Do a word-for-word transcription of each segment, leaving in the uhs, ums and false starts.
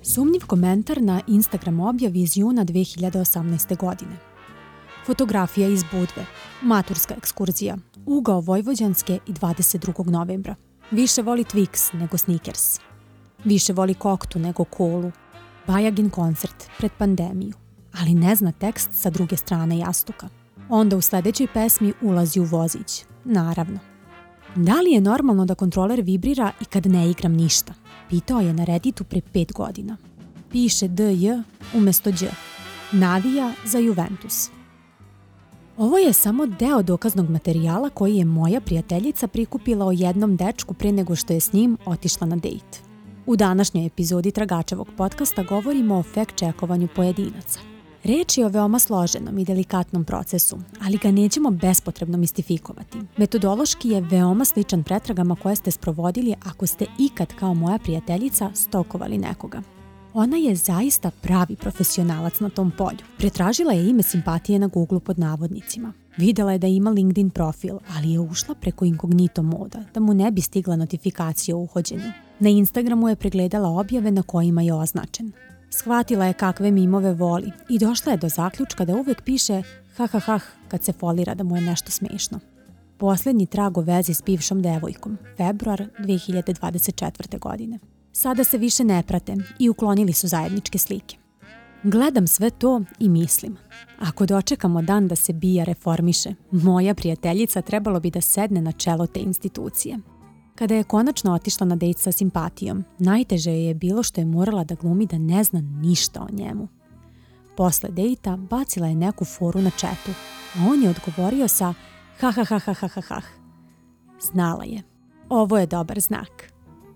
Sumnjiv komentar na Instagram objavi iz juna dve hiljade osamnaeste. godine. Fotografija iz Budve, maturska ekskurzija, ugao Vojvođanske i dvadeset drugog novembra. Više voli Twix nego Snickers. Više voli koktu nego kolu. Bajagin koncert pred pandemiju, ali ne zna tekst sa druge strane jastuka. Onda u sljedećoj pesmi ulazi u vozić, naravno. Da li je normalno da kontroler vibrira i kad ne igram ništa? Pitao je na Redditu pre pet godina. Piše D J umjesto Đ. Navija za Juventus. Ovo je samo deo dokaznog materijala koji je moja prijateljica prikupila o jednom dečku pre nego što je s njim otišla na dejt. U današnjoj epizodi Tragačevog podcasta govorimo o fact-checkovanju pojedinaca. Reč je o veoma složenom i delikatnom procesu, ali ga nećemo bespotrebno mistifikovati. Metodološki je veoma sličan pretragama koje ste sprovodili ako ste ikad kao moja prijateljica stalkovali nekoga. Ona je zaista pravi profesionalac na tom polju. Pretražila je ime simpatije na Google pod navodnicima. Videla je da ima LinkedIn profil, ali je ušla preko inkognito moda, da mu ne bi stigla notifikacija o uhođenju. Na Instagramu je pregledala objave na kojima je označen. Shvatila je kakve mimove voli i došla je do zaključka da uvek piše ha ha ha kad se folira da mu je nešto smešno. Posljednji trag o vezi s bivšom devojkom, februar dve hiljade dvadeset četvrte. godine. Sada se više ne prate i uklonili su zajedničke slike. Gledam sve to i mislim, ako dočekamo dan da se Bija reformiše, moja prijateljica trebalo bi da sedne na čelo te institucije. Kada je konačno otišla na dejt sa simpatijom, najteže je bilo što je morala da glumi da ne zna ništa o njemu. Posle dejta bacila je neku foru na chatu, a on je odgovorio sa ha ha ha ha ha ha ha. Znala je. Ovo je dobar znak.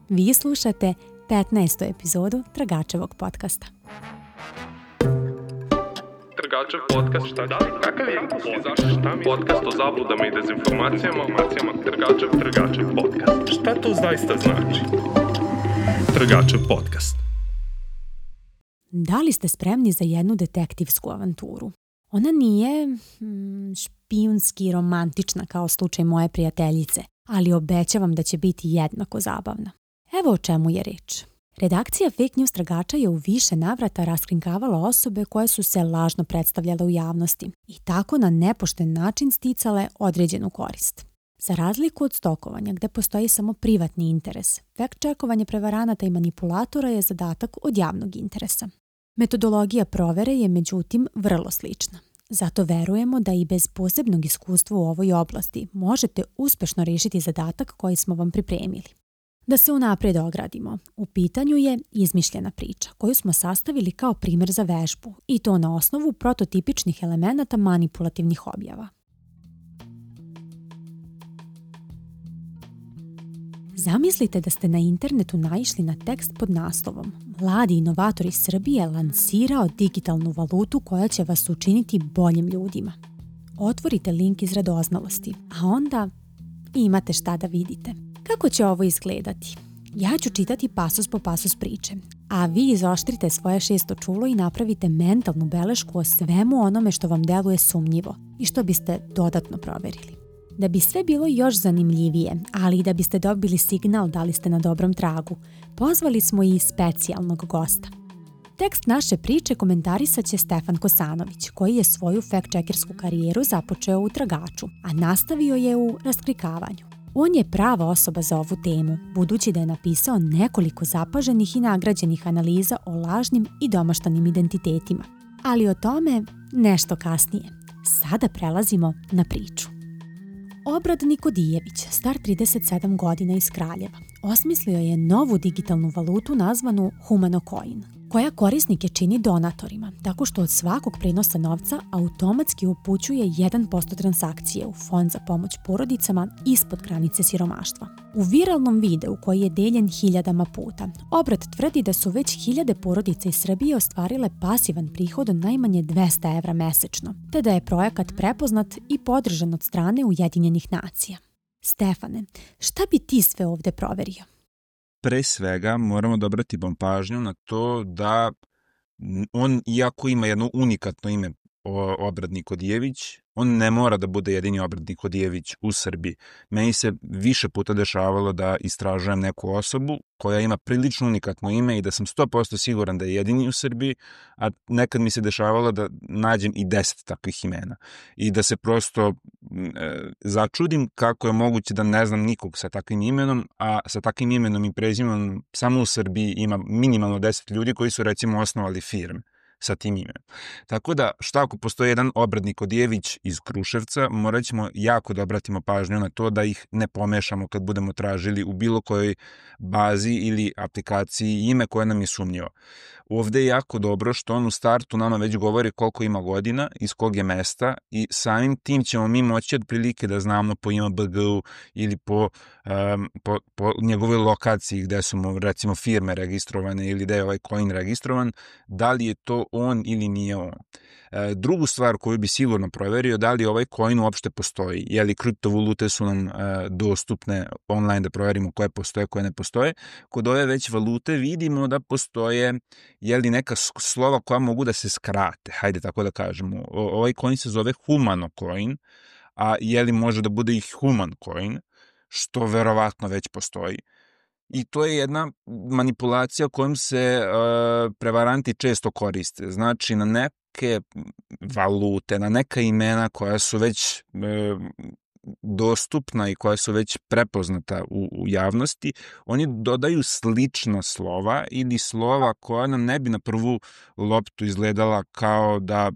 Vi slušate petnaestu epizodu Tragačevog podcasta. Tragačev podcast, šta da li? Kakav je zašto šta mi? Podcast o zabludama i dezinformacijama, informacijama, Tragačev, Tragačev podcast. Šta to zaista znači? Tragačev podcast. Da li ste spremni za jednu detektivsku avanturu? Ona nije hmm, špijunski romantična kao slučaj moje prijateljice, ali obećavam da će biti jednako zabavna. Evo o čemu je reč. Redakcija Fake News Tragača je u više navrata raskrinkavala osobe koje su se lažno predstavljale u javnosti i tako na nepošten način sticale određenu korist. Za razliku od stalkovanja gde postoji samo privatni interes, fact-checkovanje prevaranata i manipulatora je zadatak od javnog interesa. Metodologija provere je međutim vrlo slična. Zato verujemo da i bez posebnog iskustva u ovoj oblasti možete uspešno rešiti zadatak koji smo vam pripremili. Da se unaprijed ogradimo, u pitanju je izmišljena priča koju smo sastavili kao primjer za vežbu i to na osnovu prototipičnih elemenata manipulativnih objava. Zamislite da ste na internetu naišli na tekst pod naslovom Mladi inovator iz Srbije lansirao digitalnu valutu koja će vas učiniti boljim ljudima. Otvorite link iz radoznalosti, a onda imate šta da vidite. Kako će ovo izgledati? Ja ću čitati pasus po pasus priče, a vi izoštrite svoje šesto čulo i napravite mentalnu belešku o svemu onome što vam deluje sumnjivo i što biste dodatno proverili. Da bi sve bilo još zanimljivije, ali i da biste dobili signal da li ste na dobrom tragu, pozvali smo i specijalnog gosta. Tekst naše priče komentarisat će Stefan Kosanović, koji je svoju fact-checkersku karijeru započeo u Tragaču, a nastavio je u raskrikavanju. On je prava osoba za ovu temu, budući da je napisao nekoliko zapaženih i nagrađenih analiza o lažnim i domaštanim identitetima. Ali o tome nešto kasnije. Sada prelazimo na priču. Obrad Nikodijević, star trideset sedam godina iz Kraljeva, osmislio je novu digitalnu valutu nazvanu Humano Coin. koja korisnike čini donatorima, tako što od svakog prenosa novca automatski upućuje jedan posto transakcije u fond za pomoć porodicama ispod granice siromaštva. U viralnom videu koji je deljen hiljadama puta, obrat tvrdi da su već hiljade porodica iz Srbije ostvarile pasivan prihod od najmanje dvesta evra mesečno, te da je projekat prepoznat i podržan od strane Ujedinjenih nacija. Stefane, šta bi ti sve ovde proverio? Pre svega moramo dobrati pažnju na to da on, iako ima jedno unikatno ime Obrad Nikodijević, on ne mora da bude jedini Obrad Nikodijević u Srbiji. Meni se više puta dešavalo da istražujem neku osobu koja ima prilično unikatno ime i da sam sto posto siguran da je jedini u Srbiji, a nekad mi se dešavalo da nađem i deset takvih imena. I da se prosto e, začudim kako je moguće da ne znam nikog sa takvim imenom, a sa takvim imenom i prezimenom samo u Srbiji ima minimalno deset ljudi koji su recimo osnovali firme sa tim imenom. Tako da, šta ako postoji jedan Obrad Nikodijević iz Kruševca, morat ćemo jako da obratimo pažnju na to da ih ne pomešamo kad budemo tražili u bilo kojoj bazi ili aplikaciji ime koje nam je sumnjivo. Ovde je jako dobro što on u startu nama već govori koliko ima godina, iz kog je mesta i samim tim ćemo mi moći otprilike da znamo po ima B G U ili po, um, po, po njegovoj lokaciji gde su mu recimo firme registrovane ili gde je ovaj coin registrovan, da li je to on ili nije on. E, drugu stvar koju bi sigurno proverio, da li ovaj coin uopšte postoji, je li kriptovalute su nam e, dostupne online da proverimo koje postoje, koje ne postoje. Kod ove već valute vidimo da postoje je li neka slova koja mogu da se skrate, hajde tako da kažemo. O, ovaj coin se zove Humano coin, a je li može da bude i Human coin, što verovatno već postoji. I to je jedna manipulacija kojom se uh, prevaranti često koriste. Znači, na neke valute, na neka imena koja su već uh, dostupna i koja su već prepoznata u, u javnosti, oni dodaju slična slova ili slova koja nam ne bi na prvu loptu izgledala kao da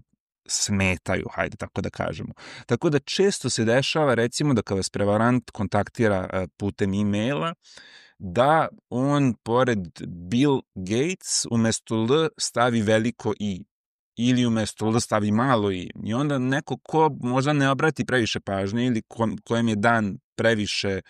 smetaju, hajde tako da kažemo. Tako da često se dešava, recimo, da kad vas prevarant kontaktira uh, putem e-maila, da on pored Bill Gates umesto L stavi veliko I ili umesto L stavi malo I. I onda neko ko možda ne obrati previše pažnje ili ko, kojem je dan previše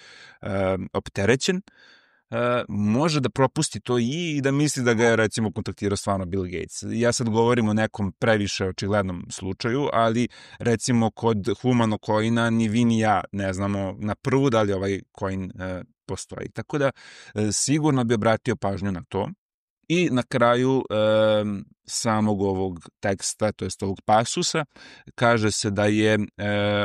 uh, opterećen, uh, može da propusti to I i da misli da ga je recimo kontaktirao stvarno Bill Gates. Ja sad govorim o nekom previše očiglednom slučaju, ali recimo kod Humano coina ni vi ni ja ne znamo na prvu da li ovaj coin uh, postoji. Tako da sigurno bi obratio pažnju na to. I na kraju e, samog ovog teksta, to jest ovog pasusa, kaže se da je e,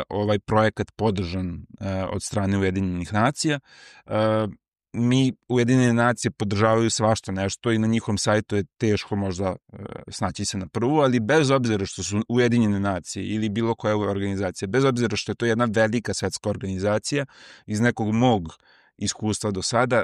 ovaj projekat podržan e, od strane Ujedinjenih nacija. E, mi Ujedinjene nacije podržavaju svašta nešto i na njihovom sajtu je teško možda e, snaći se na prvu, ali bez obzira što su Ujedinjene nacije ili bilo koja organizacija, bez obzira što je to jedna velika svetska organizacija, iz nekog mog iskustva do sada,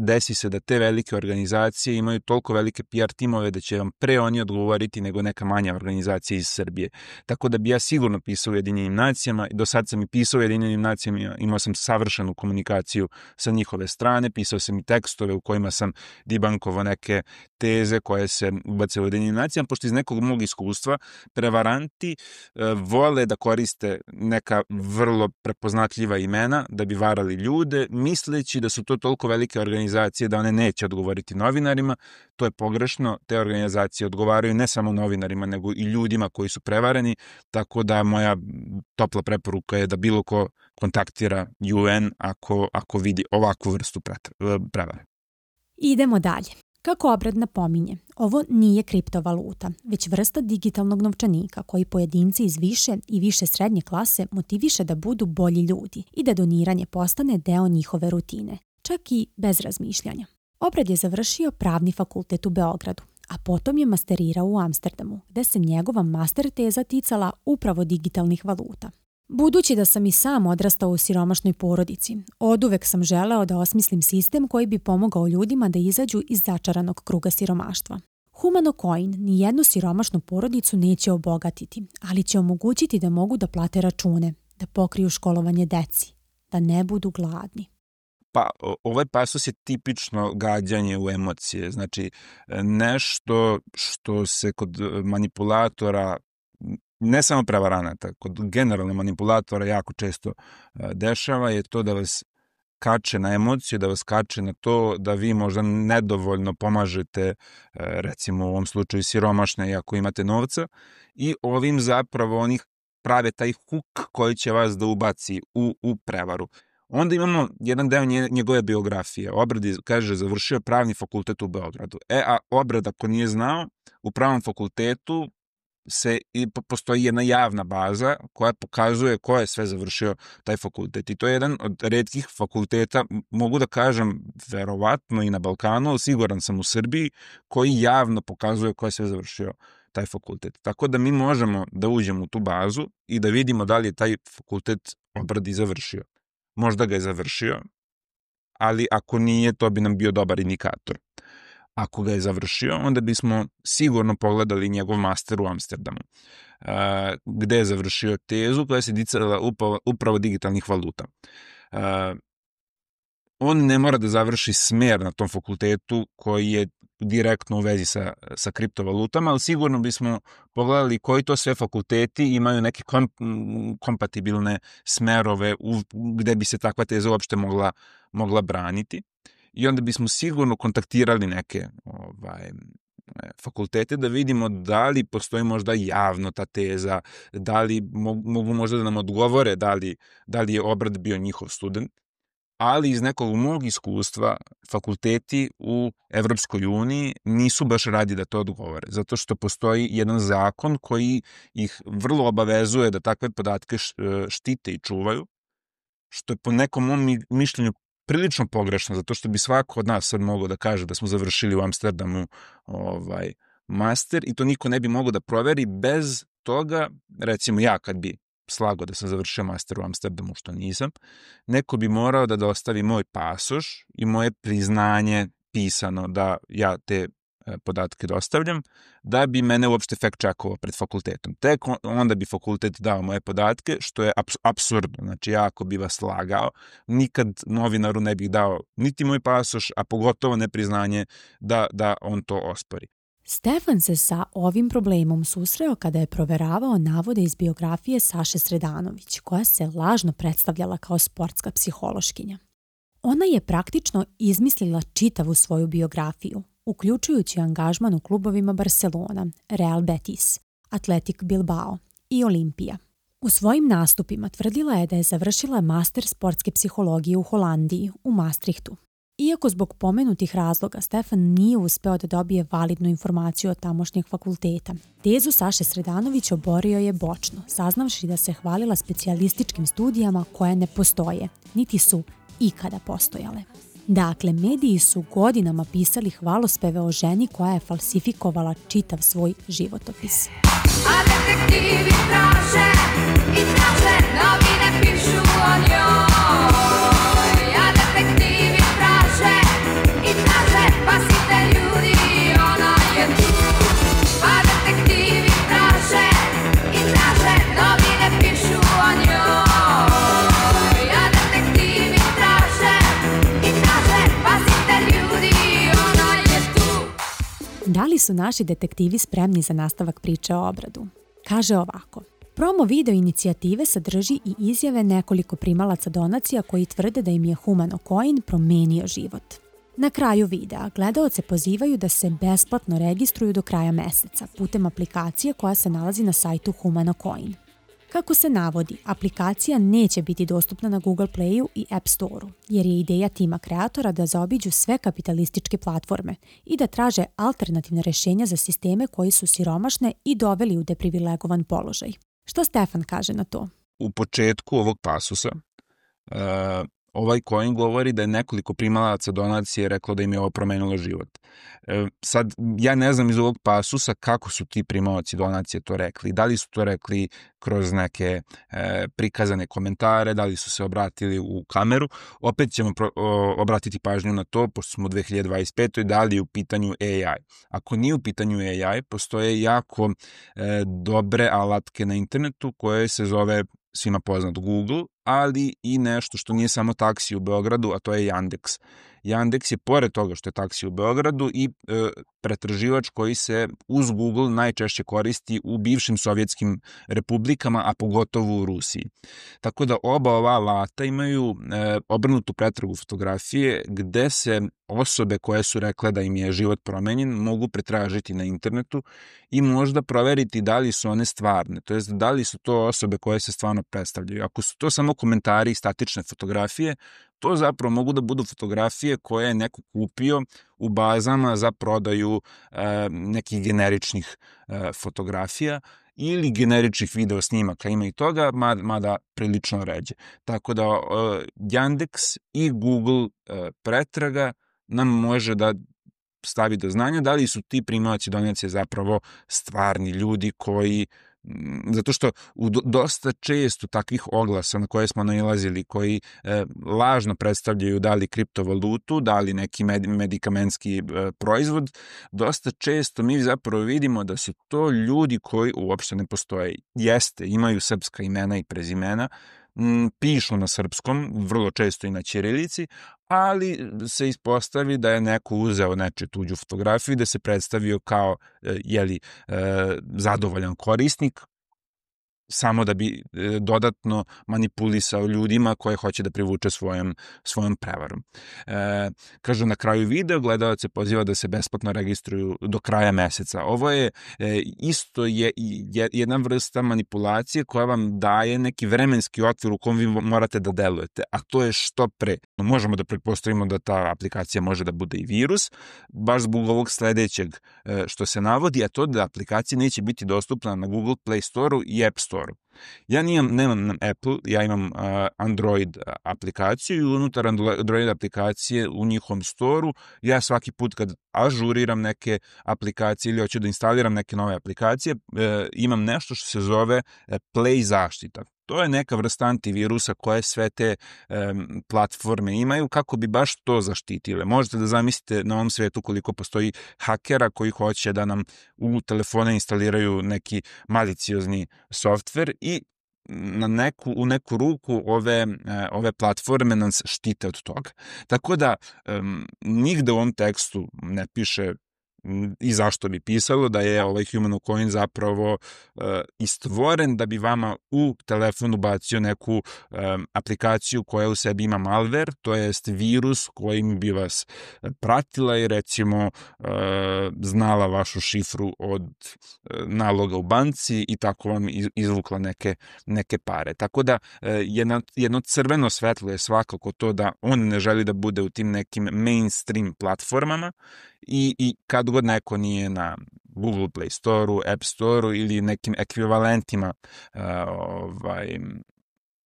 desi se da te velike organizacije imaju toliko velike P R timove da će vam pre oni odgovoriti nego neka manja organizacija iz Srbije. Tako da bi ja sigurno pisao Ujedinjenim nacijama, do sad sam i pisao Ujedinjenim nacijama, imao sam savršenu komunikaciju sa njihove strane, pisao sam i tekstove u kojima sam debankovao neke teze koje se ubace u Ujedinjenim nacijama, pošto iz nekog mog iskustva prevaranti e, vole da koriste neka vrlo prepoznatljiva imena da bi varali ljude, misle da su to toliko velike organizacije da one neće odgovoriti novinarima. To je pogrešno. Te organizacije odgovaraju ne samo novinarima, nego i ljudima koji su prevareni, tako da moja topla preporuka je da bilo ko kontaktira U N ako, ako vidi ovakvu vrstu prevare. Idemo dalje. Kako Obrad napominje, ovo nije kriptovaluta, već vrsta digitalnog novčanika koji pojedinci iz više i više srednje klase motiviše da budu bolji ljudi i da doniranje postane deo njihove rutine, čak i bez razmišljanja. Obrad je završio pravni fakultet u Beogradu, a potom je masterirao u Amsterdamu, gde se njegova master teza ticala upravo digitalnih valuta. Budući da sam i sam odrastao u siromašnoj porodici, oduvek sam želeo da osmislim sistem koji bi pomogao ljudima da izađu iz začaranog kruga siromaštva. Humano coin ni jednu siromašnu porodicu neće obogatiti, ali će omogućiti da mogu da plate račune, da pokriju školovanje deci, da ne budu gladni. Pa, ovaj pasus je tipično gađanje u emocije, znači nešto što se kod manipulatora, ne samo prevaranata, kod generalno manipulatora jako često dešava je to da vas kače na emociju, da vas kače na to da vi možda nedovoljno pomažete, recimo u ovom slučaju siromašne, iako imate novca, i ovim zapravo oni prave taj huk koji će vas da ubaci u, u prevaru. Onda imamo jedan deo njegove biografije. Obrad je, kaže, završio pravni fakultet u Beogradu. E, a Obrad, ako nije znao, u pravnom fakultetu se i postoji jedna javna baza koja pokazuje ko je sve završio taj fakultet. I to je jedan od retkih fakulteta, mogu da kažem, verovatno i na Balkanu, ali siguran sam u Srbiji, koji javno pokazuje ko je sve završio taj fakultet. Tako da mi možemo da uđemo u tu bazu i da vidimo da li je taj fakultet Obrad i završio. Možda ga je završio, ali ako nije, to bi nam bio dobar indikator. Ako ga je završio, onda bismo sigurno pogledali njegov master u Amsterdamu, gde je završio tezu koja se ticala upravo digitalnih valuta. On ne mora da završi smer na tom fakultetu koji je direktno u vezi sa, sa kriptovalutama, ali sigurno bismo pogledali koji to sve fakulteti imaju neke kom, kompatibilne smerove u, gde bi se takva teza uopšte mogla, mogla braniti. I onda bismo sigurno kontaktirali neke ovaj, fakultete da vidimo da li postoji možda javno ta teza, da li mogu možda da nam odgovore da li, da li je Obrad bio njihov student. Ali iz nekog mog iskustva fakulteti u Evropskoj uniji nisu baš radi da to odgovore, zato što postoji jedan zakon koji ih vrlo obavezuje da takve podatke štite i čuvaju, što je po nekom mom mišljenju prilično pogrešno, zato što bi svako od nas sad mogao da kaže da smo završili u Amsterdamu ovaj, master i to niko ne bi mogao da proveri bez toga, recimo ja kad bi slago da sam završio master u Amsterdamu, što nisam, neko bi morao da dostavi moj pasoš i moje priznanje pisano da ja te podatke dostavljam, da bi mene uopšte fact checkovao pred fakultetom. Tek onda bi fakultet dao moje podatke, što je apsurdno. Znači, ja ako bi vas lagao, nikad novinaru ne bih dao niti moj pasoš, a pogotovo ne priznanje da, da on to ospori. Stefan se sa ovim problemom susreo kada je proveravao navode iz biografije Saše Sredanović, koja se lažno predstavljala kao sportska psihološkinja. Ona je praktično izmislila čitavu svoju biografiju, uključujući angažman u klubovima Barcelona, Real Betis, Athletic Bilbao i Olimpija. U svojim nastupima tvrdila je da je završila master sportske psihologije u Holandiji, u Maastrichtu. Iako zbog pomenutih razloga Stefan nije uspeo da dobije validnu informaciju od tamošnjeg fakulteta, tezu Saše Sredanović oborio je bočno, saznavši da se hvalila specijalističkim studijama koje ne postoje, niti su ikada postojale. Dakle, mediji su godinama pisali hvalospeve o ženi koja je falsifikovala čitav svoj životopis. A detektivi traže i traže, novine pišu o njoj. A detektivi traže i traže, pasite ljudi, ona je tu. A detektivi traže i traže, novine pišu o njoj. A detektivi traže i traže, pasite ljudi, ona je tu. Da li su naši detektivi spremni za nastavak priče o Obradu? Kaže ovako. Promo video inicijative sadrži i izjave nekoliko primalaca donacija koji tvrde da im je Humano Coin promenio život. Na kraju videa gledaoce pozivaju da se besplatno registruju do kraja meseca putem aplikacije koja se nalazi na sajtu Humano Coin. Kako se navodi, aplikacija neće biti dostupna na Google Playu i App Storeu, jer je ideja tima kreatora da zaobiđu sve kapitalističke platforme i da traže alternativne rešenja za sisteme koji su siromašne i doveli u deprivilegovan položaj. Šta Stefan kaže na to? U početku ovog pasusa uh, ovaj coin govori da je nekoliko primalaca donacije reklo da im je ovo promenilo život. Uh, sad, ja ne znam iz ovog pasusa kako su ti primalaci donacije to rekli. Da li su to rekli kroz neke uh, prikazane komentare, da li su se obratili u kameru. Opet ćemo pro, o, obratiti pažnju na to, pošto smo u dve hiljade dvadeset petoj da li je u pitanju A I. Ako nije u pitanju A I, postoje jako uh, dobre alatke na internetu koje se zove svima poznat Google ali i nešto što nije samo taksi u Beogradu, a to je Yandex. Yandex je pored toga što je taksi u Beogradu i e, pretraživač koji se uz Google najčešće koristi u bivšim sovjetskim republikama, a pogotovo u Rusiji. Tako da oba ova alata imaju e, obrnutu pretragu fotografije gde se osobe koje su rekle da im je život promenjen mogu pretražiti na internetu i možda proveriti da li su one stvarne, to jest da li su to osobe koje se stvarno predstavljaju. Ako su to samo komentari i statične fotografije, to zapravo mogu da budu fotografije koje je neko kupio u bazama za prodaju e, nekih generičnih e, fotografija ili generičnih video snimaka, ima i toga, mada prilično ređe. Tako da e, Yandex i Google e, pretraga nam može da stavi do znanja da li su ti primaoci donacije zapravo stvarni ljudi koji, zato što u dosta često takvih oglasa na koje smo nailazili, koji e, lažno predstavljaju da li kriptovalutu, da li neki med, medikamentski e, proizvod, dosta često mi zapravo vidimo da su to ljudi koji uopšte ne postoje. Jeste, imaju srpska imena i prezimena, m, pišu na srpskom, vrlo često i na ćirilici, ali se ispostavi da je neko uzeo nečiju tuđu fotografiju i da se predstavio kao jeli, zadovoljan korisnik, samo da bi dodatno manipulisao ljudima koje hoće da privuče svojom, svojom prevarom. E, kažu na kraju videa, gledalac se poziva da se besplatno registruju do kraja meseca. Ovo je e, isto je, je jedna vrsta manipulacije koja vam daje neki vremenski okvir u kom vi morate da delujete, a to je što pre. Možemo da pretpostavimo da ta aplikacija može da bude i virus, baš zbog ovog sledećeg e, što se navodi, a to da aplikacija neće biti dostupna na Google Play Store-u i App Store. Ja nijem, nemam Apple, ja imam uh, Android aplikaciju i unutar Android aplikacije u njihovom storu ja svaki put kad ažuriram neke aplikacije ili hoću da instaliram neke nove aplikacije, uh, imam nešto što se zove uh, Play zaštita. To je neka vrsta antivirusa koje sve te um, platforme imaju kako bi baš to zaštitile. Možete da zamislite na ovom svetu koliko postoji hakera koji hoće da nam u telefone instaliraju neki maliciozni softver i na neku, u neku ruku ove, ove platforme nas štite od toga. Tako da um, nigde u ovom tekstu ne piše i zašto bi pisalo da je ovaj HumanoCoin zapravo uh, istvoren da bi vama u telefon ubacio neku um, aplikaciju koja u sebi ima malware, to jest virus kojim bi vas pratila i recimo uh, znala vašu šifru od uh, naloga u banci i tako vam izvukla neke, neke pare. Tako da uh, jedno, jedno crveno svetlo je svakako to da on ne želi da bude u tim nekim mainstream platformama i, i kad god neko nije na Google Play Store-u, App Store-u ili nekim ekvivalentima uh, ovaj,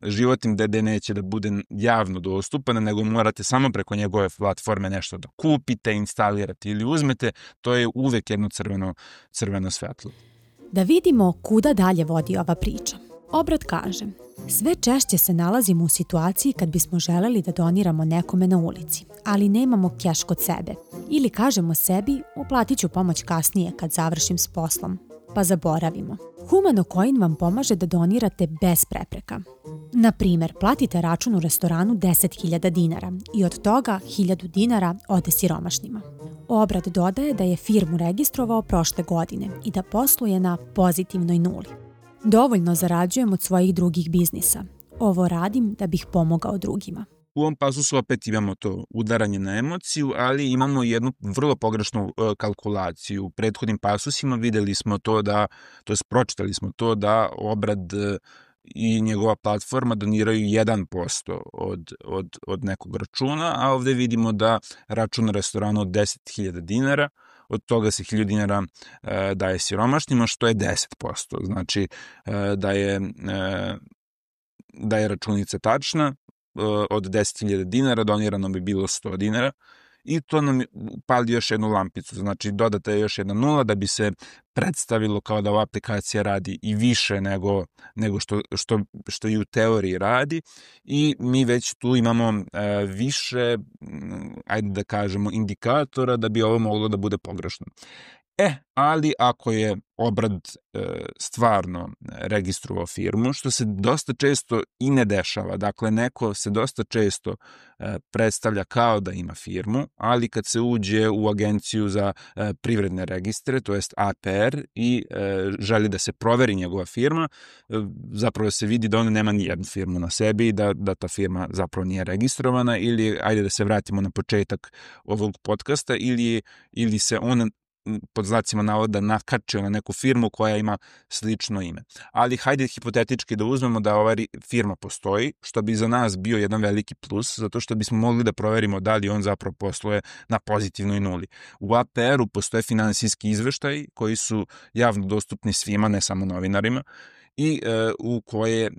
životnim gde neće da bude javno dostupan, nego morate samo preko njegove platforme nešto da kupite, instalirate ili uzmete, to je uvek jedno crveno, crveno svetlo. Da vidimo kuda dalje vodi ova priča. Obrat kaže, sve češće se nalazimo u situaciji kad bismo želeli da doniramo nekome na ulici, ali nemamo keš kod sebe. Ili kažemo sebi, uplatit ću pomoć kasnije kad završim s poslom, pa zaboravimo. HumanoCoin vam pomaže da donirate bez prepreka. Na primer, platite račun u restoranu deset hiljada dinara i od toga hiljadu dinara ode siromašnima. Obrat dodaje da je firmu registrovao prošle godine i da posluje na pozitivnoj nuli. Dovoljno zarađujem od svojih drugih biznisa. Ovo radim da bih pomogao drugima. U ovom pasusu opet imamo to udaranje na emociju, ali imamo jednu vrlo pogrešnu uh, kalkulaciju. U prethodnim pasusima videli smo to da, to jest pročitali smo to da Obrad uh, i njegova platforma doniraju jedan posto od, od, od nekog računa, a ovde vidimo da račun restorana od deset hiljada dinara, od toga se hiljadu dinara e, daje siromašnima, što je deset posto. Znači e, da, je, e, da je računica tačna, e, od deset hiljada dinara donirano bi bilo sto dinara i to nam pali još jednu lampicu. Znači dodata je još jedna nula da bi se predstavilo kao da ova aplikacija radi i više nego, nego što, što, što i u teoriji radi i mi već tu imamo e, više, ajde da kažemo, indikatora da bi ovo moglo da bude pogrešno. E, ali ako je obrad e, stvarno registrovao firmu, što se dosta često i ne dešava, dakle neko se dosta često e, predstavlja kao da ima firmu, ali kad se uđe u agenciju za e, privredne registre, to jest A P R, i e, želi da se proveri njegova firma, e, zapravo se vidi da ona nema nijednu firmu na sebi i da, da ta firma zapravo nije registrovana, ili, ajde da se vratimo na početak ovog podcasta, ili, ili se ona pod znacima navoda nakačio na neku firmu koja ima slično ime. Ali hajde hipotetički da uzmemo da ova firma postoji, što bi za nas bio jedan veliki plus, zato što bismo mogli da proverimo da li on zapravo posluje na pozitivnoj nuli. U A P R-u postoje finansijski izveštaji koji su javno dostupni svima, ne samo novinarima, i e, u koje e,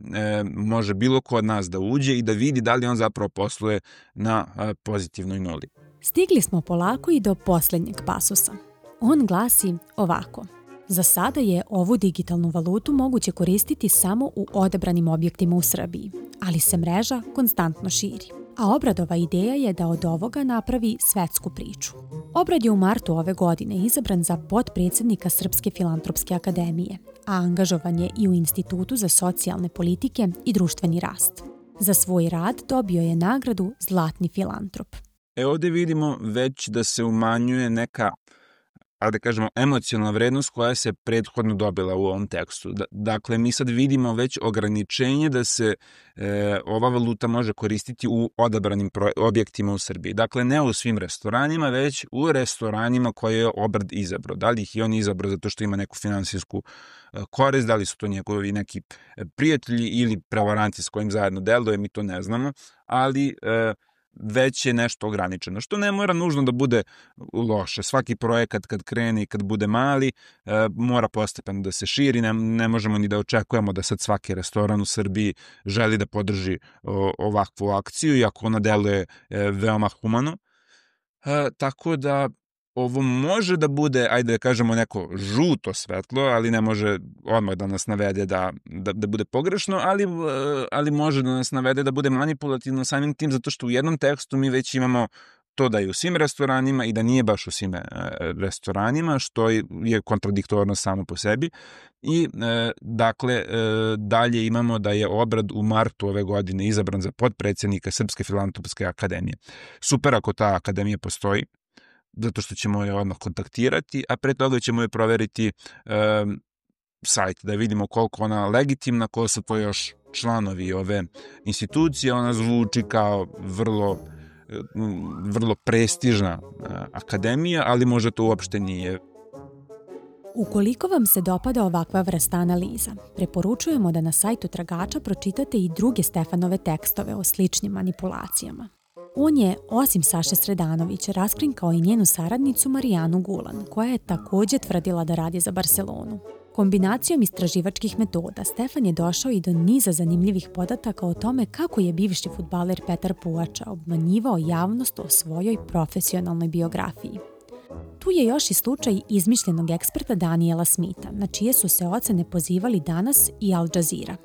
može bilo ko od nas da uđe i da vidi da li on zapravo posluje na e, pozitivnoj nuli. Stigli smo polako i do posljednjeg pasusa. On glasi ovako. Za sada je ovu digitalnu valutu moguće koristiti samo u odabranim objektima u Srbiji, ali se mreža konstantno širi. A Obradova ideja je da od ovoga napravi svetsku priču. Obrad je u martu ove godine izabran za potpredsjednika Srpske filantropske akademije, a angažovan je i u Institutu za socijalne politike i društveni rast. Za svoj rad dobio je nagradu Zlatni filantrop. E ovdje vidimo već da se umanjuje neka, ali da kažemo, emocionalna vrednost koja se prethodno dobila u ovom tekstu. Dakle, mi sad vidimo već ograničenje da se e, ova valuta može koristiti u odabranim pro- objektima u Srbiji. Dakle, ne u svim restoranima, već u restoranima koje je Obrad izabrao. Da li ih je on izabrao zato što ima neku finansijsku e, korist, da li su to njegovi neki prijatelji ili prevaranti s kojim zajedno deluje, mi to ne znamo, ali E, već je nešto ograničeno, što ne mora nužno da bude loše. Svaki projekat kad krene i kad bude mali, e, mora postepeno da se širi, ne, ne možemo ni da očekujemo da sad svaki restoran u Srbiji želi da podrži o, ovakvu akciju, iako ona deluje e, veoma humano. E, tako da ovo može da bude, ajde da kažemo, neko žuto svetlo, ali ne može odmah da nas navede da, da, da bude pogrešno, ali, ali može da nas navede da bude manipulativno samim tim, zato što u jednom tekstu mi već imamo to da je u svim restoranima i da nije baš u svim restoranima, što je kontradiktorno samo po sebi. I e, dakle, e, dalje imamo da je Obrad u martu ove godine izabran za potpredsjednika Srpske filantropske akademije. Super ako ta akademija postoji, zato što ćemo je odmah kontaktirati, a pre toga ćemo je proveriti e, sajt, da vidimo koliko ona legitimna, ko su to još članovi ove institucije. Ona zvuči kao vrlo, vrlo prestižna akademija, ali možda to uopšte nije. Ukoliko vam se dopada ovakva vrsta analiza, preporučujemo da na sajtu Tragača pročitate i druge Stefanove tekstove o sličnim manipulacijama. On je, osim Saše Sredanovića, raskrinkao i njenu saradnicu Marijanu Gulan, koja je također tvrdila da radi za Barcelonu. Kombinacijom istraživačkih metoda Stefan je došao i do niza zanimljivih podataka o tome kako je bivši fudbaler Petar Puača obmanjivao javnost o svojoj profesionalnoj biografiji. Tu je još i slučaj izmišljenog eksperta Daniela Smitha, na čije su se ocene pozivali Danas i Al Jazeera.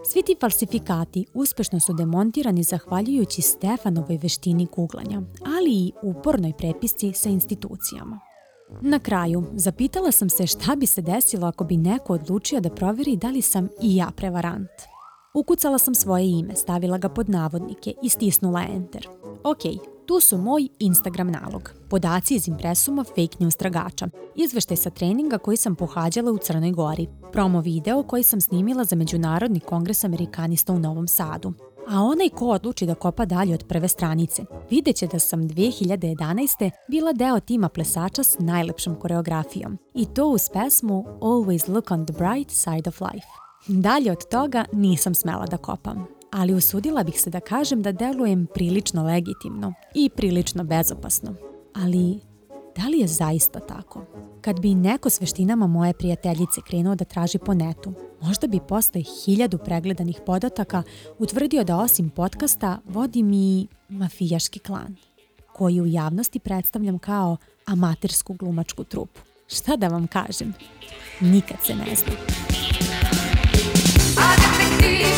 Svi ti falsifikati uspešno su demontirani zahvaljujući Stefanovoj veštini guglanja, ali i upornoj prepisci sa institucijama. Na kraju, zapitala sam se šta bi se desilo ako bi neko odlučio da proveri da li sam i ja prevarant. Ukucala sam svoje ime, stavila ga pod navodnike i stisnula enter. Ok, tu su moj Instagram nalog, podaci iz impresuma Fake News Tragača, izveštaj sa treninga koji sam pohađala u Crnoj Gori, promo video koji sam snimila za Međunarodni kongres Amerikanista u Novom Sadu. A onaj ko odluči da kopa dalje od prve stranice, vidjet će da sam dve hiljade jedanaeste. bila deo tima plesača s najlepšom koreografijom. I to uz pesmu Always Look on the Bright Side of Life. Dalje od toga nisam smela da kopam, ali usudila bih se da kažem da delujem prilično legitimno i prilično bezopasno. Ali da li je zaista tako? Kad bi neko s veštinama moje prijateljice krenuo da traži po netu, možda bi posle hiljadu pregledanih podataka utvrdio da osim podcasta vodim i mafijaški klan, koji u javnosti predstavljam kao amatersku glumačku trupu. Šta da vam kažem? Nikad se ne zna. A detektivi